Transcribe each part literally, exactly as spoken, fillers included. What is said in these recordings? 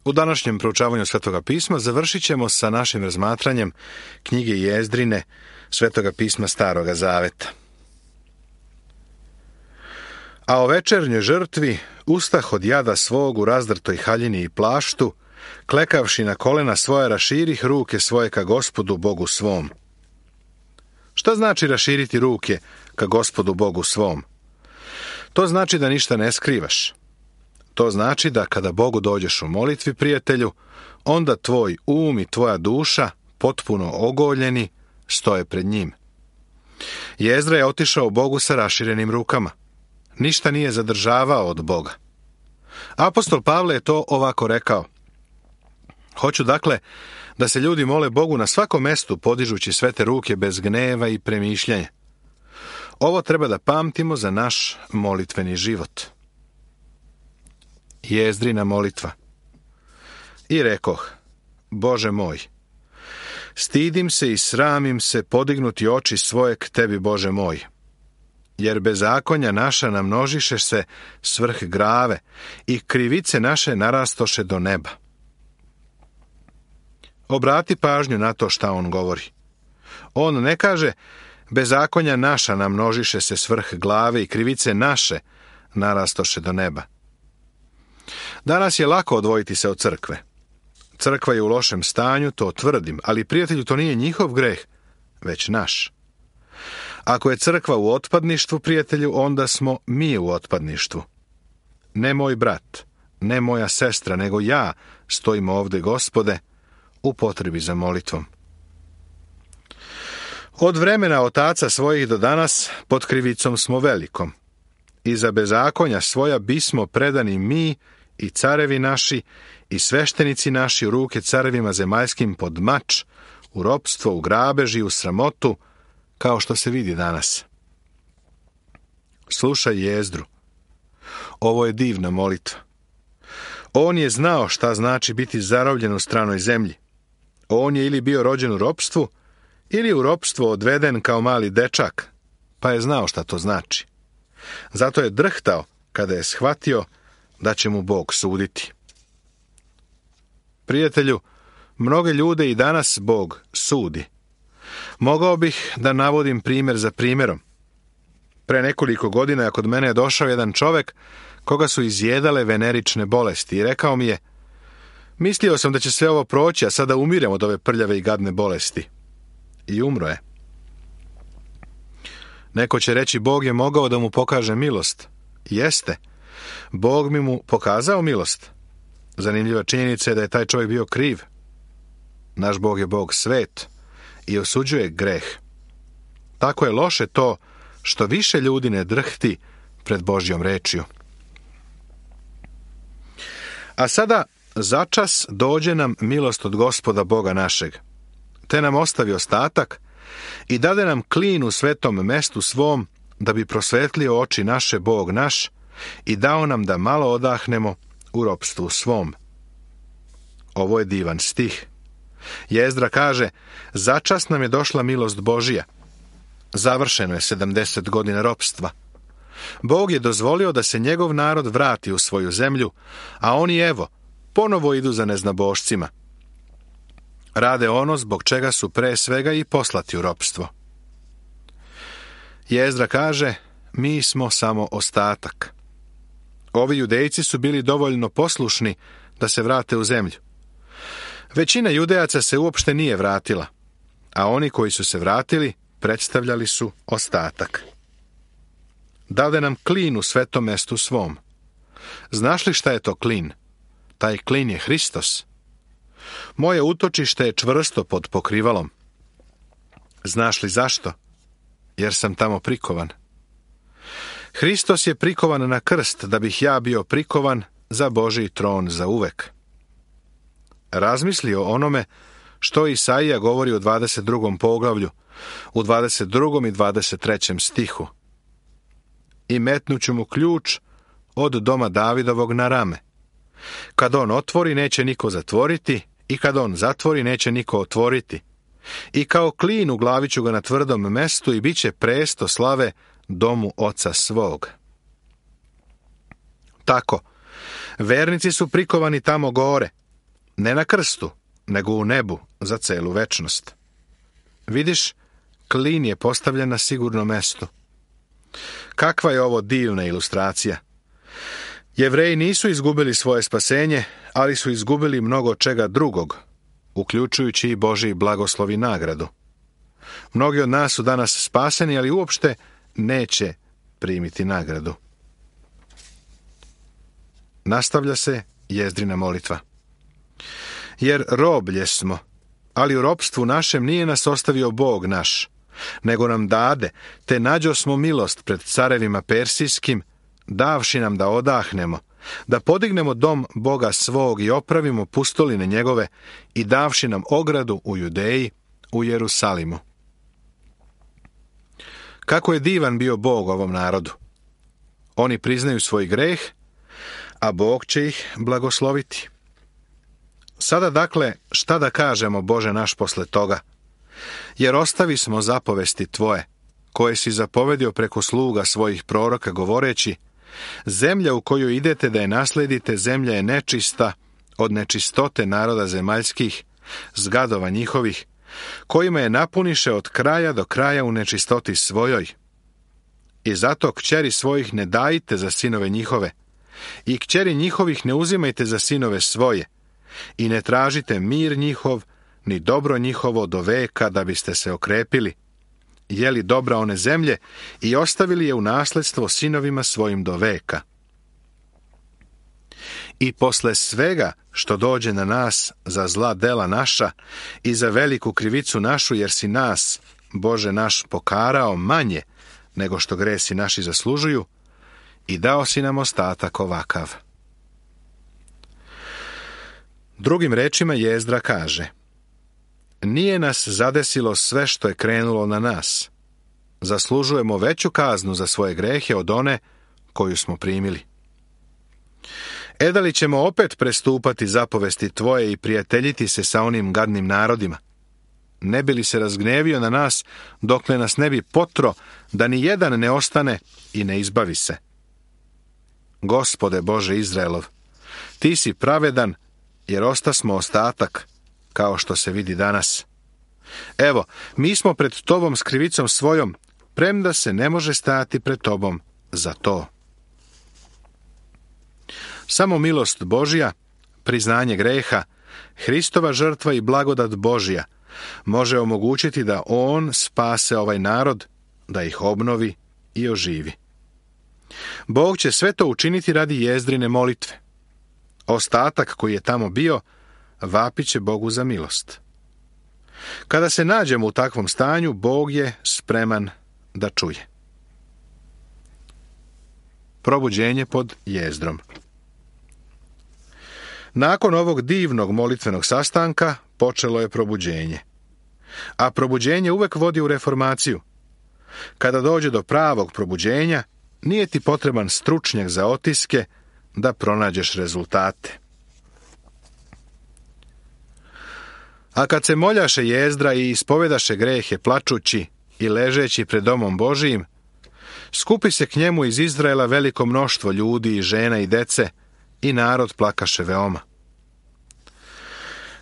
U današnjem proučavanju Svetoga pisma završit ćemo sa našim razmatranjem knjige Jezdrine, Svetoga pisma Staroga Zaveta. A o večernjoj žrtvi ustah od jada svog u razdrtoj haljini i plaštu, klekavši na kolena svoje, raširih ruke svoje ka Gospodu Bogu svom. Šta znači raširiti ruke ka Gospodu Bogu svom? To znači da ništa ne skrivaš. To znači da kada Bogu dođeš u molitvi, prijatelju, onda tvoj um i tvoja duša, potpuno ogoljeni, stoje pred njim. Jezdra je otišao Bogu sa raširenim rukama. Ništa nije zadržavao od Boga. Apostol Pavle je to ovako rekao. Hoću dakle da se ljudi mole Bogu na svakom mestu, podižući svete ruke bez gneva i premišljanja. Ovo treba da pamtimo za naš molitveni život. Jezdrina molitva. I rekoh, Bože moj, stidim se i sramim se podignuti oči svoje k tebi, Bože moj, jer bezakonja naša namnožiše se svrh grave i krivice naše narastoše do neba. Obrati pažnju na to šta on govori. On ne kaže, bezakonja naša namnožiše se svrh glave i krivice naše narastoše do neba. Danas je lako odvojiti se od crkve. Crkva je u lošem stanju, to tvrdim, ali prijatelju, to nije njihov greh, već naš. Ako je crkva u otpadništvu, prijatelju, onda smo mi u otpadništvu. Ne moj brat, ne moja sestra, nego ja stojim ovde, Gospode, u potrebi za molitvom. Od vremena otaca svojih do danas pod krivicom smo velikom. I za bezakonja svoja bismo predani mi i carevi naši i sveštenici naši u ruke carevima zemaljskim pod mač, u ropstvo, u grabež i u sramotu, kao što se vidi danas. Slušaj Jezdru. Ovo je divna molitva. On je znao šta znači biti zarobljen u stranoj zemlji. On je ili bio rođen u ropstvu, ili u ropstvo odveden kao mali dečak, pa je znao šta to znači. Zato je drhtao kada je shvatio da će mu Bog suditi. Prijatelju, mnoge ljude i danas Bog sudi. Mogao bih da navodim primjer za primjerom. Pre nekoliko godina kod mene je došao jedan čovek koga su izjedale venerične bolesti i rekao mi je, mislio sam da će sve ovo proći, a sada umirem od ove prljave i gadne bolesti. I umro je. Neko će reći, Bog je mogao da mu pokaže milost. Jeste. Bog mi mu pokazao milost. Zanimljiva činjenica je da je taj čovjek bio kriv. Naš Bog je Bog svet i osuđuje greh. Tako je loše to što više ljudi ne drhti pred Božjom rečju. A sada začas dođe nam milost od Gospoda Boga našeg, te nam ostavi ostatak i dade nam klin u svetom mestu svom, da bi prosvetlio oči naše Bog naš i dao nam da malo odahnemo u ropstvu svom. Ovo je divan stih. Jezdra kaže, začas nam je došla milost Božija. Završeno je sedamdeset godina ropstva. Bog je dozvolio da se njegov narod vrati u svoju zemlju, a oni, evo, ponovo idu za neznabošcima. Rade ono zbog čega su pre svega i poslati u ropstvo. Jezdra kaže, mi smo samo ostatak. Ovi judejci su bili dovoljno poslušni da se vrate u zemlju. Većina judejaca se uopšte nije vratila, a oni koji su se vratili predstavljali su ostatak. Dade nam klin u svetom mestu svom. Znaš li šta je to klin? Taj klin je Hristos. Moje utočište je čvrsto pod pokrivalom. Znaš li zašto? Jer sam tamo prikovan. Hristos je prikovan na krst, da bih ja bio prikovan za Božji tron za uvek. Razmisli o onome što Isaija govori u dvadeset drugom poglavlju, u dvadeset drugom i dvadeset trećem stihu. I metnuću mu ključ od doma Davidovog na rame. Kad on otvori, neće niko zatvoriti, i kad on zatvori, neće niko otvoriti. I kao klin u glavi ću ga na tvrdom mestu i bit će presto slave domu oca svog. Tako, vernici su prikovani tamo gore, ne na krstu, nego u nebu za celu večnost. Vidiš, klin je postavljen na sigurno mesto. Kakva je ovo divna ilustracija! Jevreji nisu izgubili svoje spasenje, ali su izgubili mnogo čega drugog, uključujući i Božji blagoslov i nagradu. Mnogi od nas su danas spaseni, ali uopšte neće primiti nagradu. Nastavlja se Jezdrina molitva. Jer roblje smo, ali u ropstvu našem nije nas ostavio Bog naš, nego nam dade, te nađo smo milost pred carevima persijskim, davši nam da odahnemo, da podignemo dom Boga svog i opravimo pustoline njegove i davši nam ogradu u Judeji, u Jerusalimu. Kako je divan bio Bog ovom narodu! Oni priznaju svoj greh, a Bog će ih blagosloviti. Sada dakle, šta da kažemo, Bože naš, posle toga? Jer ostavi smo zapovesti Tvoje, koje si zapovedio preko sluga svojih proroka, govoreći: zemlja u koju idete da je nasledite, zemlja je nečista od nečistote naroda zemaljskih, zgadova njihovih, kojima je napuniše od kraja do kraja u nečistoti svojoj. I zato kćeri svojih ne dajte za sinove njihove, i kćeri njihovih ne uzimajte za sinove svoje, i ne tražite mir njihov, ni dobro njihovo do veka, da biste se okrepili, jeli dobra one zemlje i ostavili je u nasledstvo sinovima svojim do veka. I posle svega što dođe na nas za zla dela naša i za veliku krivicu našu, jer si nas, Bože naš, pokarao manje nego što gresi naši zaslužuju, i dao si nam ostatak ovakav. Drugim rečima Jezdra kaže: nije nas zadesilo sve što je krenulo na nas. Zaslužujemo veću kaznu za svoje grehe od one koju smo primili. E da li ćemo opet prestupati zapovesti Tvoje i prijateljiti se sa onim gadnim narodima? Ne bi li se razgnevio na nas, dokle nas ne bi potro, da ni jedan ne ostane i ne izbavi se? Gospode Bože Izraelov, Ti si pravedan, jer ostasmo ostatak, kao što se vidi danas. Evo, mi smo pred Tobom s krivicom svojom, premda se ne može stajati pred Tobom za to. Samo milost Božja, priznanje greha, Hristova žrtva i blagodat Božja može omogućiti da On spase ovaj narod, da ih obnovi i oživi. Bog će sve to učiniti radi Jezdrine molitve. Ostatak koji je tamo bio vapit će Bogu za milost. Kada se nađemo u takvom stanju, Bog je spreman da čuje. Probuđenje pod Jezdrom. Nakon ovog divnog molitvenog sastanka počelo je probuđenje. A probuđenje uvek vodi u reformaciju. Kada dođe do pravog probuđenja, nije ti potreban stručnjak za otiske da pronađeš rezultate. A kad se moljaše Jezdra i ispovedaše grehe plačući i ležeći pred domom Božijim, skupi se k njemu iz Izraela veliko mnoštvo ljudi i žena i dece, i narod plakaše veoma.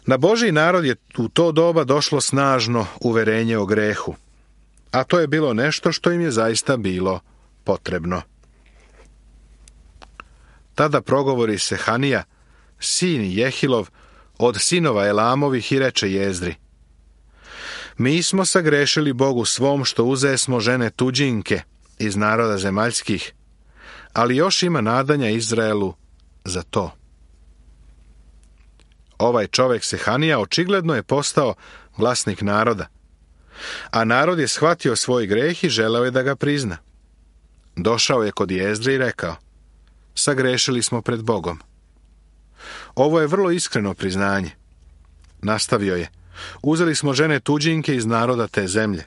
Na Božji narod je u to doba došlo snažno uverenje o grehu, a to je bilo nešto što im je zaista bilo potrebno. Tada progovori se Hanija, sin Jehilov, od sinova Elamovih, i reče Jezdri: mi smo sagrešili Bogu svom što uzesmo žene tuđinke iz naroda zemaljskih, ali još ima nadanja Izraelu za to. Ovaj čovek Sehanija očigledno je postao glasnik naroda, a narod je shvatio svoj greh i želeo je da ga prizna. Došao je kod Jezdre i rekao: sagrešili smo pred Bogom. Ovo je vrlo iskreno priznanje. Nastavio je: uzeli smo žene tuđinke iz naroda te zemlje.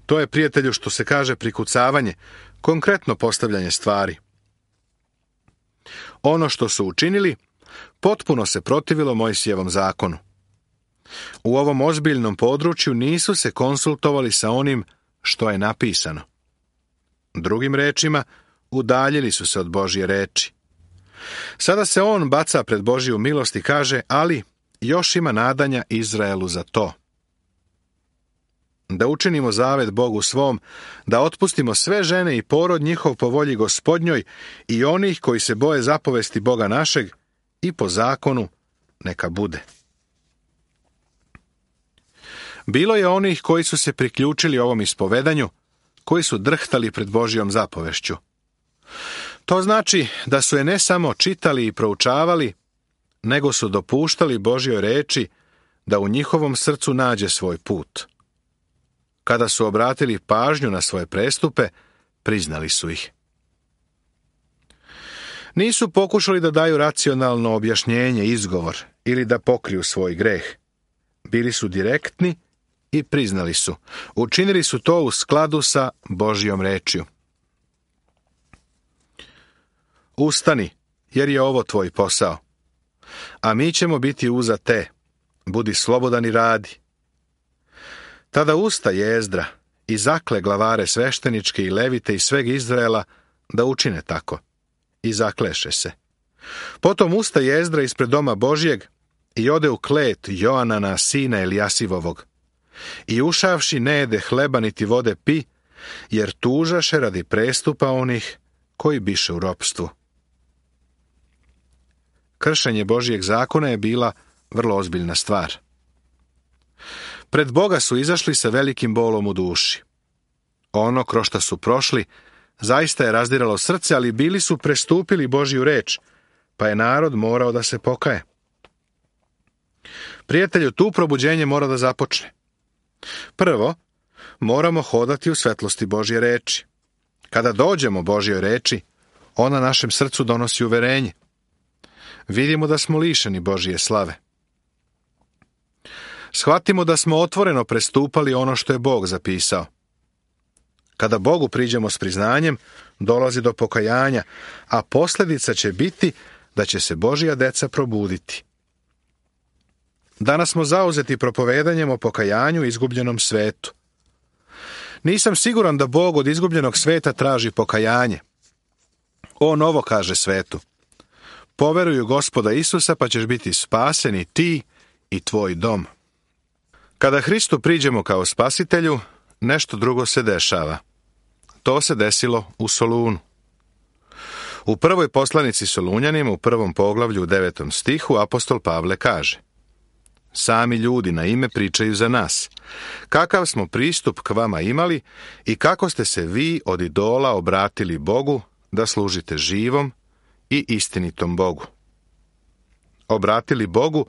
To je, prijatelju, što se kaže prikucavanje, konkretno postavljanje stvari. Ono što su učinili potpuno se protivilo Mojsijevom zakonu. U ovom ozbiljnom području nisu se konsultovali sa onim što je napisano. Drugim rečima, udaljili su se od Božje reči. Sada se on baca pred Božju milost i kaže, ali još ima nadanja Izraelu za to. Da učinimo zavet Bogu svom, da otpustimo sve žene i porod njihov po volji Gospodnjoj i onih koji se boje zapovesti Boga našeg i po zakonu neka bude. Bilo je onih koji su se priključili ovom ispovedanju, koji su drhtali pred Božjom zapovešću. To znači da su je ne samo čitali i proučavali, nego su dopuštali Božjoj reči da u njihovom srcu nađe svoj put. Kada su obratili pažnju na svoje prestupe, priznali su ih. Nisu pokušali da daju racionalno objašnjenje, izgovor ili da pokriju svoj greh. Bili su direktni i priznali su. Učinili su to u skladu sa Božjom rečju. Ustani, jer je ovo tvoj posao. A mi ćemo biti uza te. Budi slobodan i radi. Tada ustaje Ezdra i zakle glavare svešteničke i levite i sveg Izraela da učine tako. I zakleše se. Potom ustaje Ezdra ispred doma Božjeg i ode u klet Joanana, sina Elijasivovog. I ušavši ne jede hleba niti vode pi, jer tužaše radi prestupa onih koji biše u ropstvu. Kršenje Božjeg zakona je bila vrlo ozbiljna stvar. Pred Boga su izašli sa velikim bolom u duši. Ono kroz šta su prošli zaista je razdiralo srce, ali bili su prestupili Božju reč, pa je narod morao da se pokaje. Prijatelju, tu probuđenje mora da započne. Prvo, moramo hodati u svetlosti Božje reči. Kada dođemo Božjoj reči, ona našem srcu donosi uverenje. Vidimo da smo lišeni Božje slave. Shvatimo da smo otvoreno prestupali ono što je Bog zapisao. Kada Bogu priđemo s priznanjem, dolazi do pokajanja, a posljedica će biti da će se Božja deca probuditi. Danas smo zauzeti propovedanjem o pokajanju i izgubljenom svetu. Nisam siguran da Bog od izgubljenog sveta traži pokajanje. On ovo kaže svetu. Poveruj u Gospoda Isusa, pa ćeš biti spasen i ti i tvoj dom. Kada Hristu priđemo kao spasitelju, nešto drugo se dešava. To se desilo u Solunu. U prvoj poslanici Solunjanima, u prvom poglavlju u devetom stihu, apostol Pavle kaže: Sami ljudi na ime pričaju za nas. Kakav smo pristup k vama imali i kako ste se vi od idola obratili Bogu da služite živom i istinitom Bogu. Obratili Bogu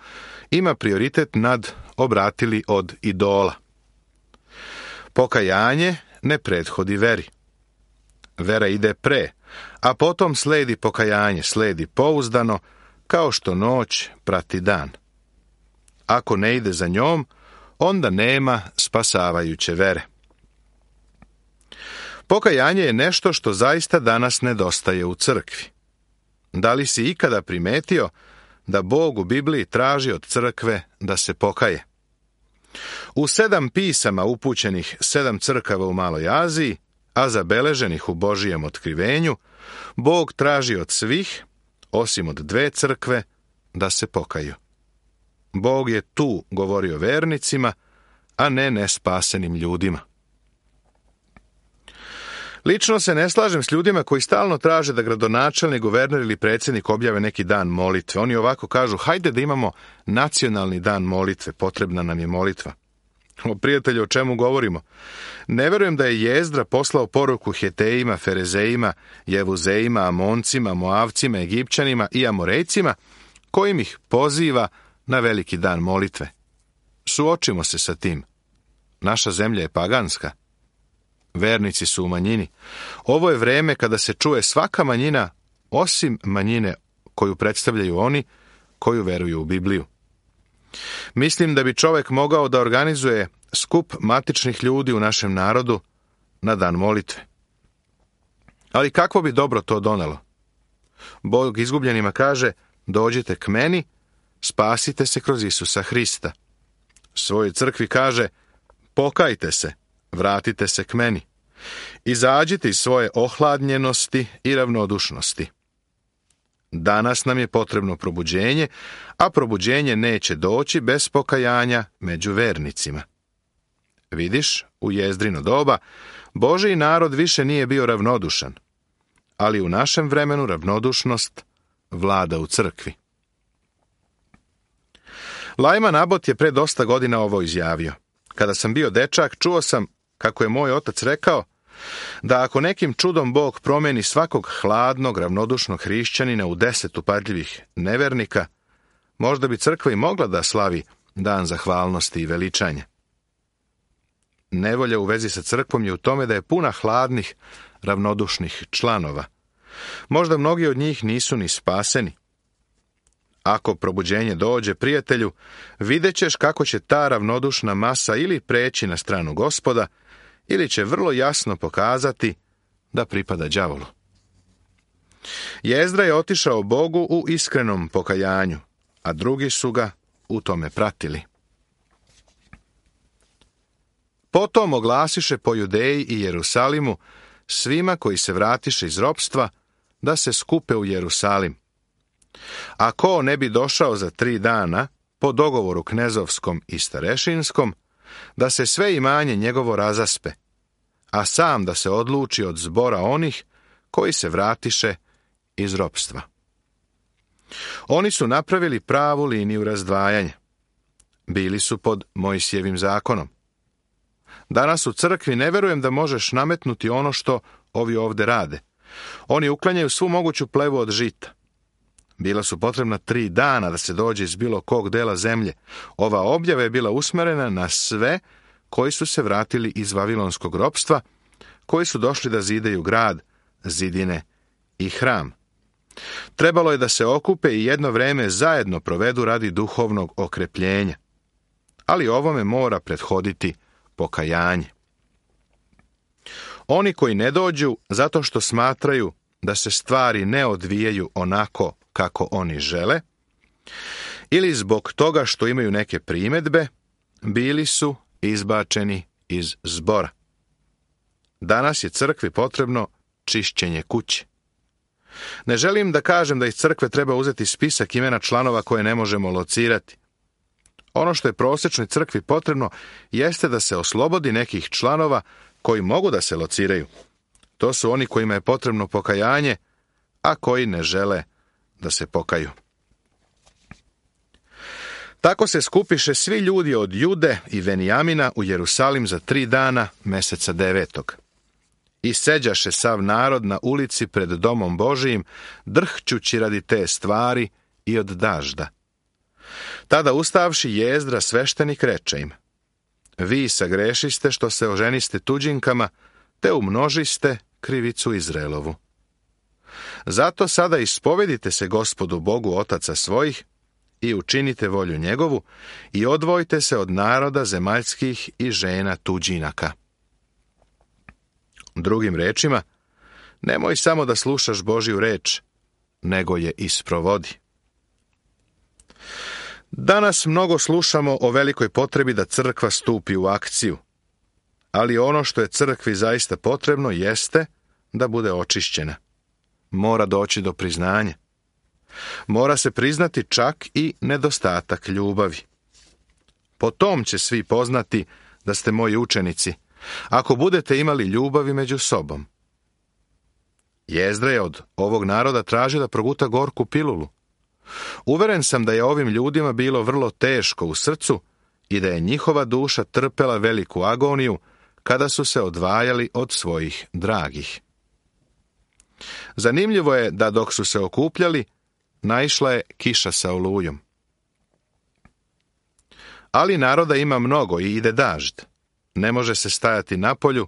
ima prioritet nad obratili od idola. Pokajanje ne prethodi veri. Vera ide pre, a potom sledi pokajanje, sledi pouzdano, kao što noć prati dan. Ako ne ide za njom, onda nema spasavajuće vere. Pokajanje je nešto što zaista danas nedostaje u crkvi. Da li si ikada primetio da Bog u Bibliji traži od crkve da se pokaje? U sedam pisama upućenih sedam crkava u Maloj Aziji, a zabeleženih u Božijem otkrivenju, Bog traži od svih, osim od dve crkve, da se pokaju. Bog je tu govorio vernicima, a ne nespasenim ljudima. Lično se ne slažem s ljudima koji stalno traže da gradonačelnik, guverner ili predsjednik objave neki dan molitve. Oni ovako kažu: hajde da imamo nacionalni dan molitve, potrebna nam je molitva. O prijatelju, o čemu govorimo? Ne verujem da je Jezdra poslao poruku Hetejima, Ferezejima, Jevuzejima, Amoncima, Moavcima, Egipćanima i Amorejcima, kojim ih poziva na veliki dan molitve. Suočimo se sa tim. Naša zemlja je paganska. Vernici su u manjini. Ovo je vreme kada se čuje svaka manjina, osim manjine koju predstavljaju oni koju veruju u Bibliju. Mislim da bi čovjek mogao da organizuje skup matičnih ljudi u našem narodu na dan molitve. Ali kakvo bi dobro to donelo? Bog izgubljenima kaže: dođite k meni, spasite se kroz Isusa Hrista. Svojoj crkvi kaže: pokajte se, vratite se k meni. Izađite iz svoje ohladnjenosti i ravnodušnosti. Danas nam je potrebno probuđenje, a probuđenje neće doći bez pokajanja među vernicima. Vidiš, u Jezdrino doba Božji narod više nije bio ravnodušan, ali u našem vremenu ravnodušnost vlada u crkvi. Lajman Abot je pre dosta godina ovo izjavio. Kada sam bio dečak, čuo sam, kako je moj otac rekao, da ako nekim čudom Bog promeni svakog hladnog, ravnodušnog hrišćanina u deset upadljivih nevernika, možda bi crkva i mogla da slavi dan zahvalnosti i veličanja. Nevolja u vezi sa crkvom je u tome da je puna hladnih, ravnodušnih članova. Možda mnogi od njih nisu ni spaseni. Ako probuđenje dođe, prijatelju, vidjet ćeš kako će ta ravnodušna masa ili preći na stranu Gospoda, ili će vrlo jasno pokazati da pripada đavolu. Jezdra je otišao Bogu u iskrenom pokajanju, a drugi su ga u tome pratili. Potom oglasiše po Judeji i Jerusalimu svima koji se vratiše iz ropstva da se skupe u Jerusalim. A ko ne bi došao za tri dana, po dogovoru knezovskom i starešinskom, da se sve imanje njegovo razaspe, a sam da se odluči od zbora onih koji se vratiše iz ropstva. Oni su napravili pravu liniju razdvajanja. Bili su pod Mojsijevim zakonom. Danas u crkvi ne verujem da možeš nametnuti ono što ovi ovde rade. Oni uklanjaju svu moguću plevu od žita. Bila su potrebna tri dana da se dođe iz bilo kog dela zemlje. Ova objava je bila usmerena na sve koji su se vratili iz vavilonskog ropstva, koji su došli da zidaju grad, zidine i hram. Trebalo je da se okupe i jedno vreme zajedno provedu radi duhovnog okrepljenja. Ali ovome mora prethoditi pokajanje. Oni koji ne dođu zato što smatraju da se stvari ne odvijaju onako kako oni žele, ili zbog toga što imaju neke primedbe, bili su izbačeni iz zbora. Danas je crkvi potrebno čišćenje kuće. Ne želim da kažem da iz crkve treba uzeti spisak imena članova koje ne možemo locirati. Ono što je prosječnoj crkvi potrebno jeste da se oslobodi nekih članova koji mogu da se lociraju. To su oni kojima je potrebno pokajanje, a koji ne žele da se pokaju. Tako se skupiše svi ljudi od Jude i Venijamina u Jerusalim za tri dana meseca devetog. I seđaše sav narod na ulici pred domom Božijim, drhćući radi te stvari i od dažda. Tada ustavši Jezdra sveštenik reče im: Vi sagrešiste što se oženiste tuđinkama, te umnožiste krivicu Izraelovu. Zato sada ispovedite se Gospodu Bogu otaca svojih i učinite volju njegovu i odvojite se od naroda zemaljskih i žena tuđinaka. Drugim rečima, nemoj samo da slušaš Božju reč, nego je isprovodi. Danas mnogo slušamo o velikoj potrebi da crkva stupi u akciju, ali ono što je crkvi zaista potrebno jeste da bude očišćena. Mora doći do priznanja. Mora se priznati čak i nedostatak ljubavi. Po tom će svi poznati da ste moji učenici, ako budete imali ljubavi među sobom. Jezdra je od ovog naroda tražio da proguta gorku pilulu. Uveren sam da je ovim ljudima bilo vrlo teško u srcu i da je njihova duša trpela veliku agoniju kada su se odvajali od svojih dragih. Zanimljivo je da dok su se okupljali, naišla je kiša sa olujom. Ali naroda ima mnogo i ide dažd. Ne može se stajati na polju,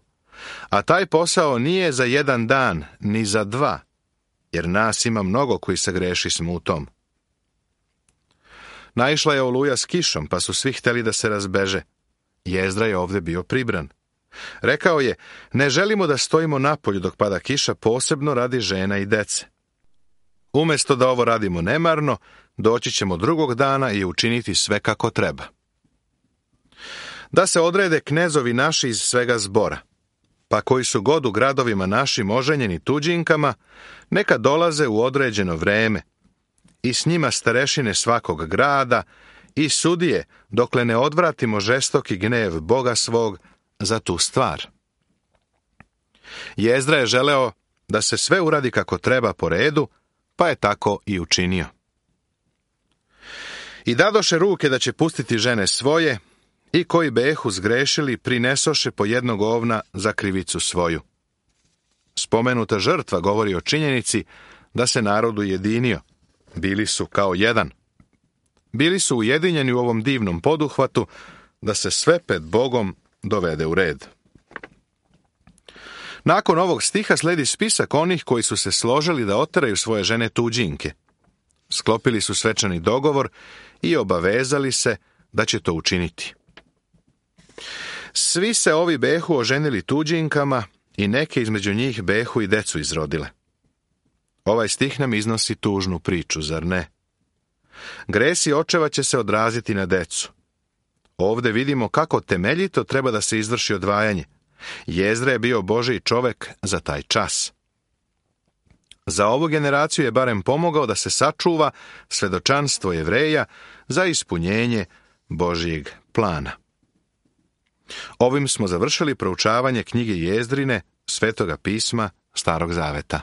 a taj posao nije za jedan dan, ni za dva, jer nas ima mnogo koji se greši smo u tom. Naišla je oluja s kišom, pa su svi htjeli da se razbeže. Jezdra je ovdje bio pribran. Rekao je, ne želimo da stojimo napolju dok pada kiša, posebno radi žena i dece. Umjesto da ovo radimo nemarno, doći ćemo drugog dana i učiniti sve kako treba. Da se odrede knezovi naši iz svega zbora. pa koji su god u gradovima našim oženjeni tuđinkama, neka dolaze u određeno vreme, i s njima starešine svakog grada i sudije, dokle ne odvratimo žestoki gnev Boga svog za tu stvar. Jezdra je želeo da se sve uradi kako treba po redu, pa je tako i učinio. I dadoše ruke da će pustiti žene svoje, i koji behu zgrešili prinesoše po jednog ovna za krivicu svoju. Spomenuta žrtva govori o činjenici da se narod ujedinio. Bili su kao jedan. Bili su ujedinjeni u ovom divnom poduhvatu da se sve pred Bogom dovede u red. Nakon ovog stiha sledi spisak onih koji su se složili da oteraju svoje žene tuđinke. Sklopili su svečani dogovor i obavezali se da će to učiniti. Svi se ovi behu oženili tuđinkama i neke između njih behu i decu izrodile. Ovaj stih nam iznosi tužnu priču, zar ne? Gresi očeva će se odraziti na decu. Ovde vidimo kako temeljito treba da se izvrši odvajanje. Jezdra je bio Božji čovek za taj čas. Za ovu generaciju je barem pomogao da se sačuva svedočanstvo Jevreja za ispunjenje Božjeg plana. Ovim smo završili proučavanje knjige Jezdrine, Svetoga pisma Starog zaveta.